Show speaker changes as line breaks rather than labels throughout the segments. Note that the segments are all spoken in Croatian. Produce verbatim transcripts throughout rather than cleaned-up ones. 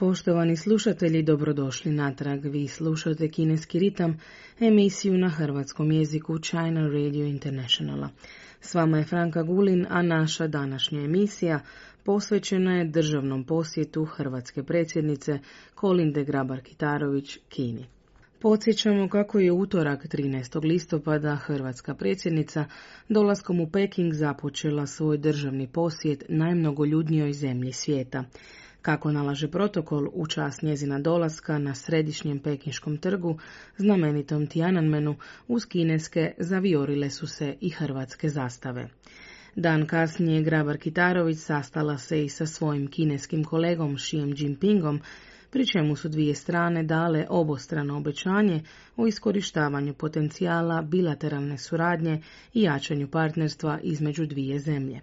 Poštovani slušatelji, dobrodošli natrag. Vi slušate Kineski ritam, emisiju na hrvatskom jeziku China Radio Internationala. S vama je Franka Gulin, a naša današnja emisija posvećena je državnom posjetu hrvatske predsjednice Kolinde Grabar-Kitarović Kini. Podsjećamo kako je utorak trinaestog listopada hrvatska predsjednica dolaskom u Peking započela svoj državni posjet najmnogoljudnijoj zemlji svijeta. Kako nalaže protokol, u čast njezina dolaska na središnjem pekinškom trgu, znamenitom Tiananmenu, uz kineske zaviorile su se i hrvatske zastave. Dan kasnije Grabar-Kitarović sastala se i sa svojim kineskim kolegom Xijem Jinpingom, pri čemu su dvije strane dale obostrano obećanje o iskorištavanju potencijala bilateralne suradnje i jačanju partnerstva između dvije zemlje.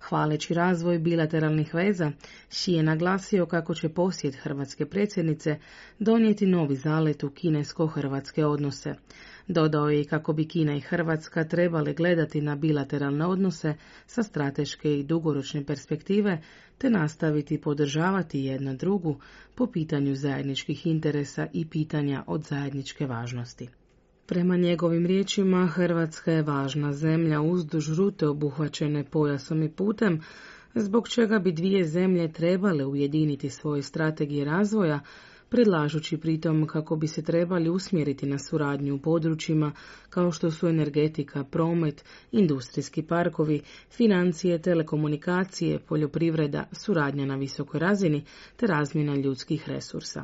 Hvaleći razvoj bilateralnih veza, Xi je naglasio kako će posjet hrvatske predsjednice donijeti novi zalet u kinesko-hrvatske odnose. Dodao je i kako bi Kina i Hrvatska trebale gledati na bilateralne odnose sa strateške i dugoročne perspektive, te nastaviti podržavati jedna drugu po pitanju zajedničkih interesa i pitanja od zajedničke važnosti. Prema njegovim riječima, Hrvatska je važna zemlja uzduž rute obuhvaćene pojasom i putem, zbog čega bi dvije zemlje trebale ujediniti svoje strategije razvoja, predlažući pritom kako bi se trebali usmjeriti na suradnju u područjima kao što su energetika, promet, industrijski parkovi, financije, telekomunikacije, poljoprivreda, suradnja na visokoj razini te razmjena ljudskih resursa.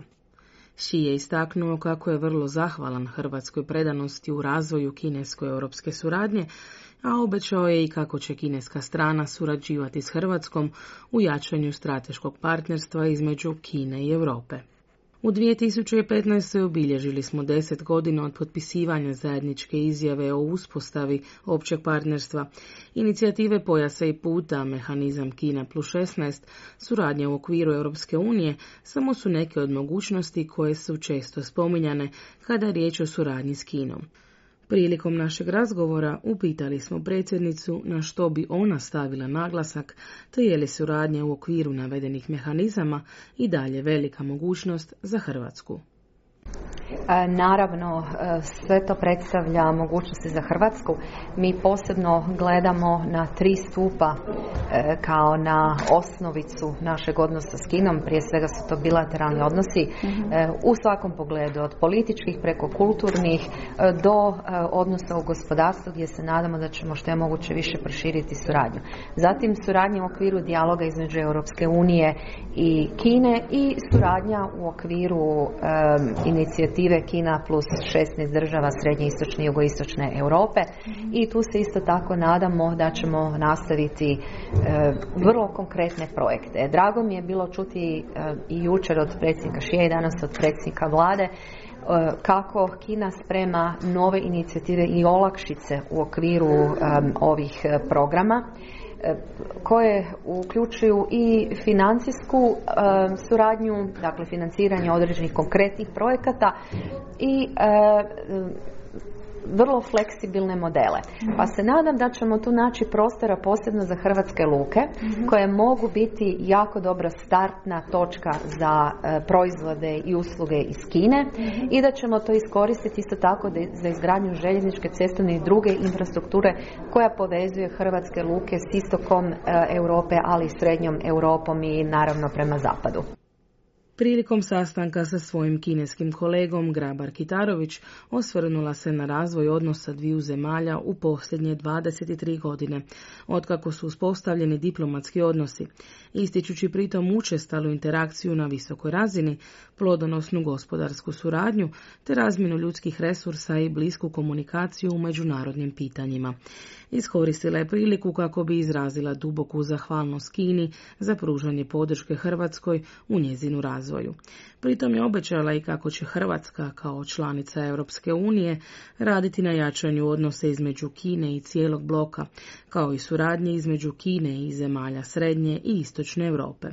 Xi je istaknuo kako je vrlo zahvalan hrvatskoj predanosti u razvoju kinesko-europske suradnje, a obećao je i kako će kineska strana surađivati s Hrvatskom u jačanju strateškog partnerstva između Kine i Europe. U dvije tisuće petnaestoj. obilježili smo deset godina od potpisivanja zajedničke izjave o uspostavi općeg partnerstva, inicijative pojasa i puta, mehanizam Kina plus šesnaest, suradnja u okviru Europske unije, samo su neke od mogućnosti koje su često spominjane kada je riječ o suradnji s Kinom. Prilikom našeg razgovora upitali smo predsjednicu na što bi ona stavila naglasak, te je li suradnja u okviru navedenih mehanizama i dalje velika mogućnost za Hrvatsku.
Naravno, sve to predstavlja mogućnosti za Hrvatsku. Mi posebno gledamo na tri stupa kao na osnovicu našeg odnosa s Kinom. Prije svega su to bilateralni odnosi u svakom pogledu, od političkih preko kulturnih do odnosa u gospodarstvu, gdje se nadamo da ćemo što je moguće više proširiti suradnju. Zatim suradnja u okviru dijaloga između Europske unije i Kine i suradnja u okviru um, inicijative Kina plus šesnaest država srednje, istočne i jugoistočne Europe, i tu se isto tako nadamo da ćemo nastaviti e, vrlo konkretne projekte. Drago mi je bilo čuti e, i jučer od predsjednika Xie i danas od predsjednika vlade e, kako Kina sprema nove inicijative i olakšice u okviru e, ovih programa, koje uključuju i financijsku e, suradnju, dakle financiranje određenih konkretnih projekata i e, vrlo fleksibilne modele. Pa se nadam da ćemo tu naći prostora posebno za hrvatske luke, mm-hmm. koje mogu biti jako dobra startna točka za e, proizvode i usluge iz Kine, mm-hmm. i da ćemo to iskoristiti isto tako de, za izgradnju željezničke, cestovne i druge infrastrukture koja povezuje hrvatske luke s istokom e, Europe, ali i srednjom Europom i naravno prema zapadu.
Prilikom sastanka sa svojim kineskim kolegom Grabar-Kitarović osvrnula se na razvoj odnosa dviju zemalja u posljednje dvadeset tri godine, otkako su uspostavljeni diplomatski odnosi, ističući pritom učestalu interakciju na visokoj razini, plodonosnu gospodarsku suradnju te razmjenu ljudskih resursa i blisku komunikaciju u međunarodnim pitanjima. Iskoristila je priliku kako bi izrazila duboku zahvalnost Kini za pružanje podrške Hrvatskoj u njezinu razvoju. Pritom je obećala i kako će Hrvatska kao članica Europske unije raditi na jačanju odnosa između Kine i cijelog bloka, kao i suradnje između Kine i zemalja srednje i istočne Europe.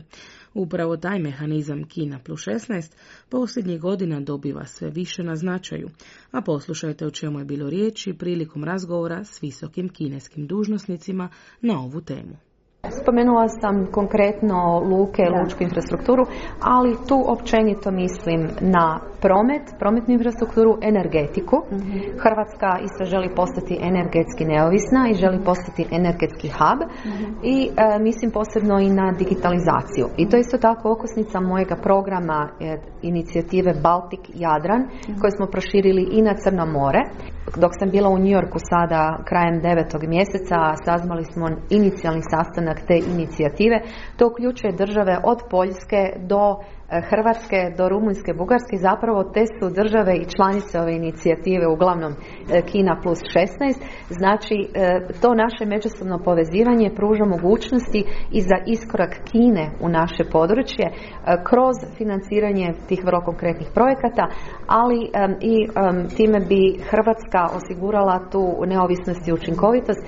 Upravo taj mehanizam Kina plus šesnaest posljednjih godina dobiva sve više na značaju, a poslušajte o čemu je bilo riječi prilikom razgovora s visokim kineskim dužnosnicima na ovu temu.
Spomenula sam konkretno luke, da. lučku infrastrukturu, ali tu općenito mislim na promet, prometnu infrastrukturu, energetiku. Mm-hmm. Hrvatska isto želi postati energetski neovisna i želi postati energetski hub mm-hmm. i e, mislim posebno i na digitalizaciju. I to je isto tako okosnica mojega programa e, inicijative Baltik Jadran mm-hmm. koje smo proširili i na Crno more. Dok sam bila u New Yorku sada krajem devetog mjeseca, sazvali smo inicijalni sastanak te inicijative. To uključuje države od Poljske do Hrvatske do Rumunjske, Bugarske, zapravo te su države i članice ove inicijative, uglavnom Kina plus šesnaest, znači to naše međusobno povezivanje pruža mogućnosti i za iskorak Kine u naše područje kroz financiranje tih vrlo konkretnih projekata, ali i time bi Hrvatska osigurala tu neovisnost i učinkovitost.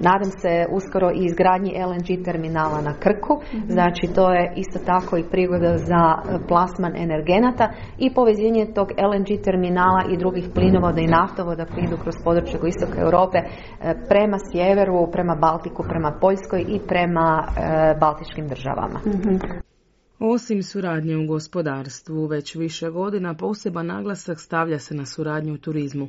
Nadam se uskoro i izgradnji L N G terminala na Krku, znači to je isto tako i prigoda za plasman energenata i povezivanje tog L N G terminala i drugih plinovoda i naftovoda koji idu kroz područje istoka Europe prema sjeveru, prema Baltiku, prema Poljskoj i prema e, baltičkim državama.
Mm-hmm. Osim suradnje u gospodarstvu, već više godina poseban naglasak stavlja se na suradnju u turizmu.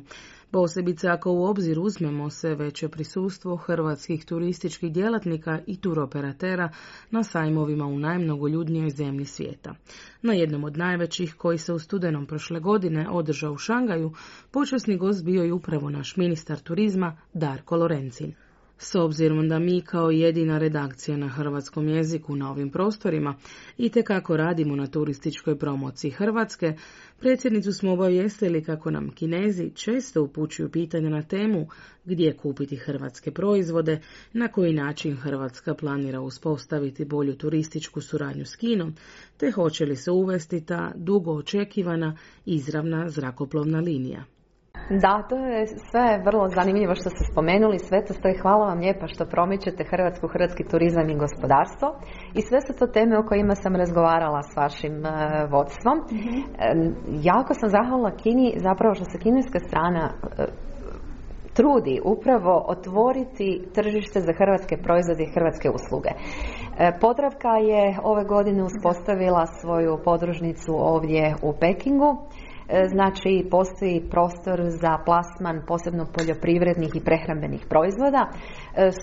Posebice ako u obzir uzmemo se veće prisustvo hrvatskih turističkih djelatnika i turoperatera na sajmovima u najmnogoljudnijoj zemlji svijeta. Na jednom od najvećih, koji se u studenom prošle godine održao u Šangaju, počasni gost bio je upravo naš ministar turizma Darko Lorencin. S obzirom da mi kao jedina redakcija na hrvatskom jeziku na ovim prostorima itekako radimo na turističkoj promociji Hrvatske, predsjednicu smo obavijestili kako nam Kinezi često upućuju pitanja na temu gdje kupiti hrvatske proizvode, na koji način Hrvatska planira uspostaviti bolju turističku suradnju s Kinom, te hoće li se uvesti ta dugo očekivana izravna zrakoplovna linija.
Da, to je sve vrlo zanimljivo što ste spomenuli, sve to stoji. Hvala vam lijepa što promičete Hrvatsku, hrvatski turizam i gospodarstvo i sve su to teme o kojima sam razgovarala s vašim uh, vodstvom. Mm-hmm. E, jako sam zahvalna Kini zapravo što se kineska strana uh, trudi upravo otvoriti tržište za hrvatske proizvode i hrvatske usluge. E, Podravka je ove godine uspostavila svoju podružnicu ovdje u Pekingu. Znači, postoji prostor za plasman posebno poljoprivrednih i prehrambenih proizvoda.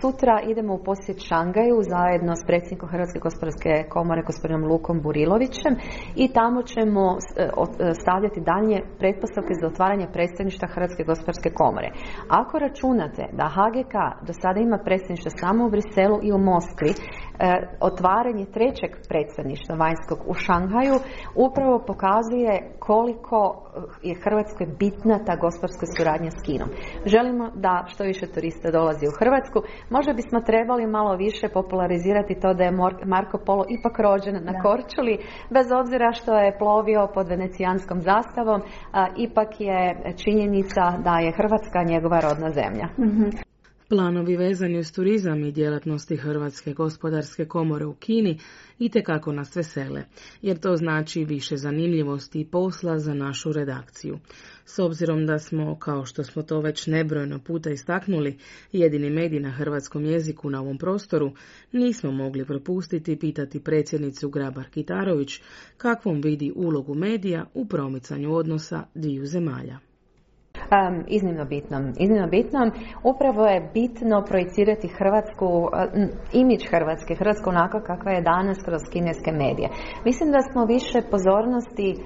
Sutra idemo u posjet Šangaju zajedno s predsjednikom Hrvatske gospodarske komore gospodinom Lukom Burilovićem i tamo ćemo stavljati dalje pretpostavke za otvaranje predstavništva Hrvatske gospodarske komore. Ako računate da H G K do sada ima predstavništvo samo u Briselu i u Moskvi, otvaranje trećeg predstavništva vanjskog u Šanghaju upravo pokazuje koliko je Hrvatskoj bitna ta gospodarska suradnja s Kinom. Želimo da što više turista dolazi u Hrvatsku. Možda bismo trebali malo više popularizirati to da je Marko Polo ipak rođen na Korčuli, bez obzira što je plovio pod venecijanskom zastavom, a, ipak je činjenica da je Hrvatska njegova rodna zemlja.
Mm-hmm. Planovi vezani uz turizam i djelatnosti Hrvatske gospodarske komore u Kini itekako nas vesele, jer to znači više zanimljivosti i posla za našu redakciju. S obzirom da smo, kao što smo to već nebrojeno puta istaknuli, jedini medij na hrvatskom jeziku na ovom prostoru, nismo mogli propustiti pitati predsjednicu Grabar-Kitarović kakvom vidi ulogu medija u promicanju odnosa dviju zemalja.
Um, iznimno bitnom. Iznimno bitnom. Upravo je bitno projicirati Hrvatsku, uh, imidž Hrvatske, Hrvatsku onako kakva je danas kroz kineske medije. Mislim da smo više pozornosti um,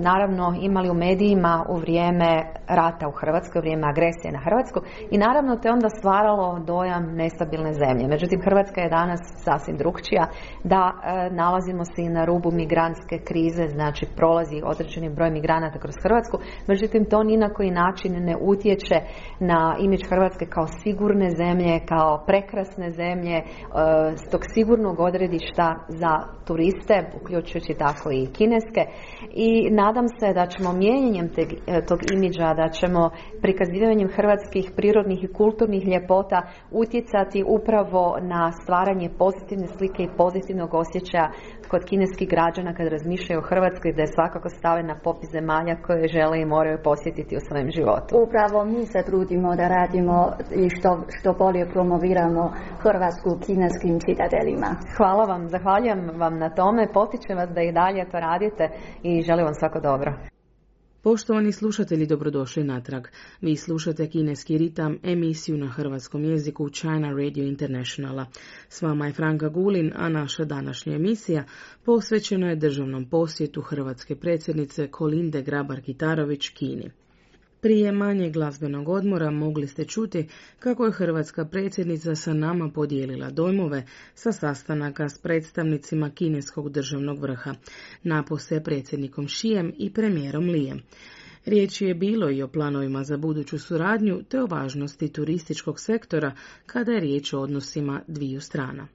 naravno imali u medijima u vrijeme rata u Hrvatskoj, u vrijeme agresije na Hrvatsku i naravno to je onda stvaralo dojam nestabilne zemlje. Međutim, Hrvatska je danas sasvim drukčija, da uh, nalazimo se i na rubu migrantske krize, znači prolazi određeni broj migranata kroz Hrvatsku, međutim to ni na koji način ne utječe na imidž Hrvatske kao sigurne zemlje, kao prekrasne zemlje, s tog sigurnog odredišta za turiste, uključujući tako i kineske. I i nadam se da ćemo mijenjanjem te, tog imidža, da ćemo prikazivanjem hrvatskih prirodnih i kulturnih ljepota utjecati upravo na stvaranje pozitivne slike i pozitivnog osjećaja kod kineskih građana kad razmišljaju o Hrvatskoj, da je svakako stave na popis zemalja koje žele i moraju posjetiti u svojem životu.
Upravo mi se trudimo da radimo i što, što bolje promoviramo Hrvatsku kineskim čitateljima.
Hvala vam, zahvaljujem vam na tome, potičem vas da i dalje to radite i želim vam svako dobro.
Poštovani slušatelji, dobrodošli natrag. Vi slušate Kineski ritam, emisiju na hrvatskom jeziku China Radio Internationala. S vama je Franka Gulin, a naša današnja emisija posvećena je državnom posjetu hrvatske predsjednice Kolinde Grabar-Kitarović Kini. Prije manje glazbenog odmora mogli ste čuti kako je hrvatska predsjednica sa nama podijelila dojmove sa sastanaka s predstavnicima kineskog državnog vrha, napose predsjednikom Xijem i premijerom Lijem. Riječi je bilo i o planovima za buduću suradnju te o važnosti turističkog sektora kada je riječ o odnosima dviju strana.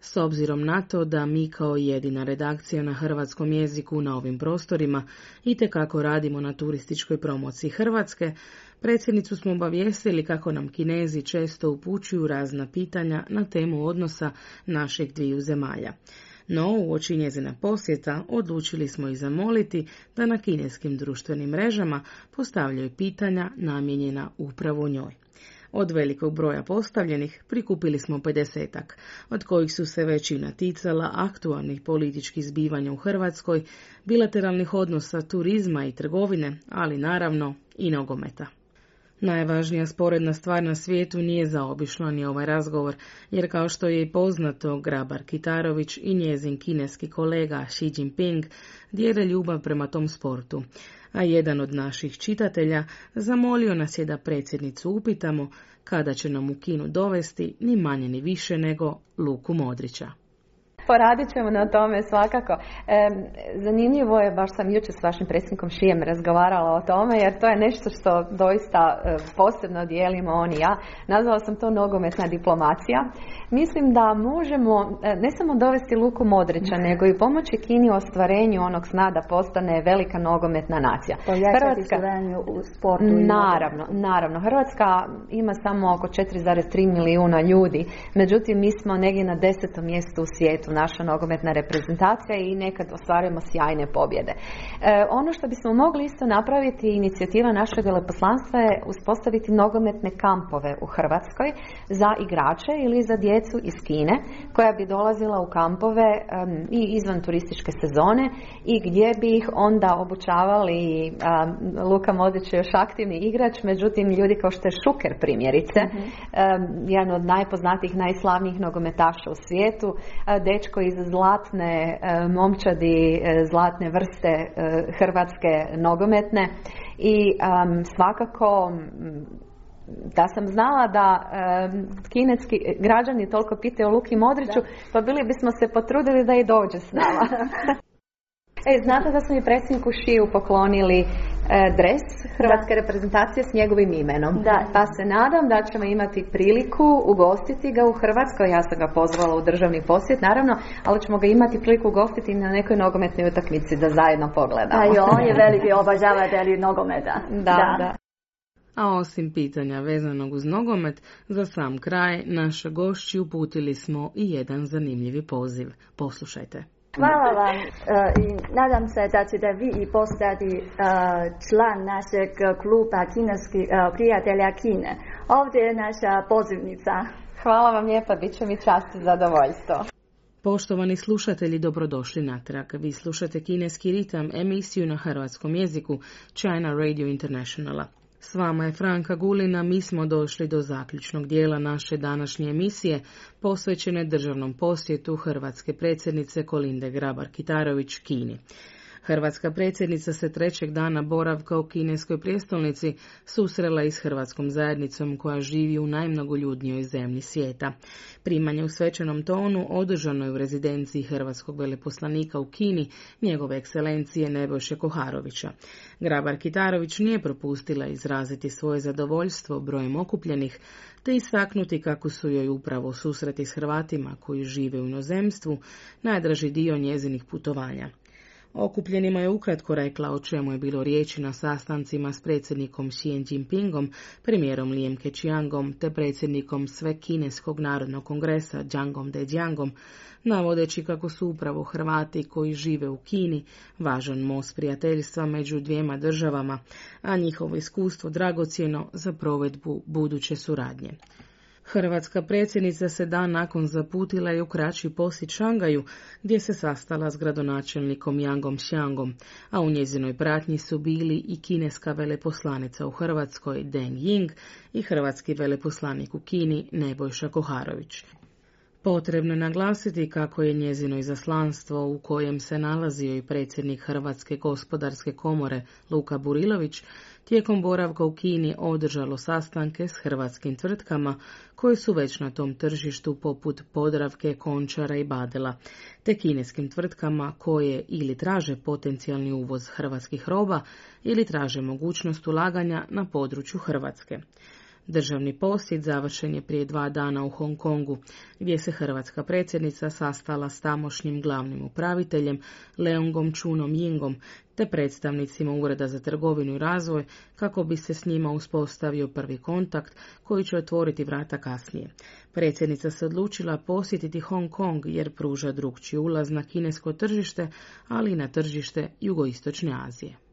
S obzirom na to da mi kao jedina redakcija na hrvatskom jeziku na ovim prostorima itekako radimo na turističkoj promociji Hrvatske, predsjednicu smo obavijestili kako nam Kinezi često upućuju razna pitanja na temu odnosa naših dviju zemalja. No, uoči njezina posjeta odlučili smo ih zamoliti da na kineskim društvenim mrežama postavljaju pitanja namijenjena upravo njoj. Od velikog broja postavljenih prikupili smo pedesetak, od kojih su se većina ticala aktualnih političkih zbivanja u Hrvatskoj, bilateralnih odnosa, turizma i trgovine, ali naravno i nogometa. Najvažnija sporedna stvar na svijetu nije zaobišla ni ovaj razgovor, jer kao što je i poznato, Grabar-Kitarović i njezin kineski kolega Xi Jinping dijele ljubav prema tom sportu, a jedan od naših čitatelja zamolio nas je da predsjednicu upitamo kada će nam u Kinu dovesti ni manje ni više nego Luku Modrića.
Poradit ćemo na tome svakako. E, zanimljivo je, baš sam jučer s vašim predsjednikom Xijem razgovarala o tome, jer to je nešto što doista e, posebno dijelimo on i ja. Nazvala sam to nogometna diplomacija. Mislim da možemo e, ne samo dovesti Luku Modrića, nego i pomoći Kini u ostvarenju onog sna da postane velika nogometna nacija.
Hrvatska u sportu.
Naravno, naravno. Hrvatska ima samo oko četiri zarez tri milijuna ljudi, međutim mi smo negdje na desetom mjestu u svijetu, naša nogometna reprezentacija, i nekad ostvarujemo sjajne pobjede. E, ono što bismo mogli isto napraviti, inicijativa našeg veleposlanstva je uspostaviti nogometne kampove u Hrvatskoj za igrače ili za djecu iz Kine, koja bi dolazila u kampove um, i izvan turističke sezone i gdje bi ih onda obučavali. um, Luka Modrić je još aktivni igrač, međutim ljudi kao što je Šuker primjerice, mm-hmm. um, jedan od najpoznatijih, najslavnijih nogometaša u svijetu, uh, dečko iz zlatne uh, momčadi, uh, zlatne vrste uh, hrvatske nogometne i um, svakako um, da sam znala da um, kineski građani toliko pitaju o Luki Modriću, da. Pa bili bismo se potrudili da i dođe s nama. E, znate da smo i predsjedniku Xiju poklonili e, dres hrvatske da. reprezentacije s njegovim imenom. Da. Pa se nadam da ćemo imati priliku ugostiti ga u Hrvatskoj. Ja sam ga pozvala u državni posjet, naravno, ali ćemo ga imati priliku ugostiti na nekoj nogometnoj utakmici da zajedno pogledamo.
A i on je veliki obožavatelj nogometa.
Da, da. da.
A osim pitanja vezanog uz nogomet, za sam kraj naše gošći uputili smo i jedan zanimljivi poziv. Poslušajte.
Hvala vam i nadam se da ćete vi i postati član našeg kluba kineskih prijatelja Kine. Ovdje je naša pozivnica.
Hvala vam lijepa, bit će mi čast i zadovoljstvo.
Poštovani slušatelji, dobrodošli natrag. Vi slušate Kineski ritam, emisiju na hrvatskom jeziku China Radio Internationala. S vama je Franka Gulina, mi smo došli do zaključnog dijela naše današnje emisije posvećene državnom posjetu hrvatske predsjednice Kolinde Grabar-Kitarović Kini. Hrvatska predsjednica se trećeg dana boravka u kineskoj prijestolnici susrela i s hrvatskom zajednicom koja živi u najmnogoljudnijoj zemlji svijeta. Primanje u svečanom tonu održano je u rezidenciji hrvatskog veleposlanika u Kini, njegove ekscelencije Nebojše Koharovića. Grabar-Kitarović nije propustila izraziti svoje zadovoljstvo brojem okupljenih, te istaknuti kako su joj upravo susreti s Hrvatima koji žive u inozemstvu najdraži dio njezinih putovanja. Okupljenima je ukratko rekla o čemu je bilo riječi na sastancima s predsjednikom Xi Jinpingom, premijerom Lijem Keqiangom te predsjednikom Svekineskog narodnog kongresa Zhangom Dejiangom, navodeći kako su upravo Hrvati koji žive u Kini važan most prijateljstva među dvijema državama, a njihovo iskustvo dragocjeno za provedbu buduće suradnje. Hrvatska predsjednica se dan nakon zaputila i u kraći posjet Šangaju, gdje se sastala s gradonačelnikom Yangom Xiangom, a u njezinoj pratnji su bili i kineska veleposlanica u Hrvatskoj Deng Ying i hrvatski veleposlanik u Kini Nebojša Koharović. Potrebno je naglasiti kako je njezino izaslanstvo, u kojem se nalazio i predsjednik Hrvatske gospodarske komore Luka Burilović, tijekom boravka u Kini održalo sastanke s hrvatskim tvrtkama koje su već na tom tržištu poput Podravke, Končara i Badela, te kineskim tvrtkama koje ili traže potencijalni uvoz hrvatskih roba ili traže mogućnost ulaganja na području Hrvatske. Državni posjet završen je prije dva dana u Hong Kongu, gdje se hrvatska predsjednica sastala s tamošnjim glavnim upraviteljem Leongom Chunom Yingom te predstavnicima Ureda za trgovinu i razvoj kako bi se s njima uspostavio prvi kontakt koji će otvoriti vrata kasnije. Predsjednica se odlučila posjetiti Hong Kong jer pruža drukčiji ulaz na kinesko tržište, ali i na tržište jugoistočne Azije.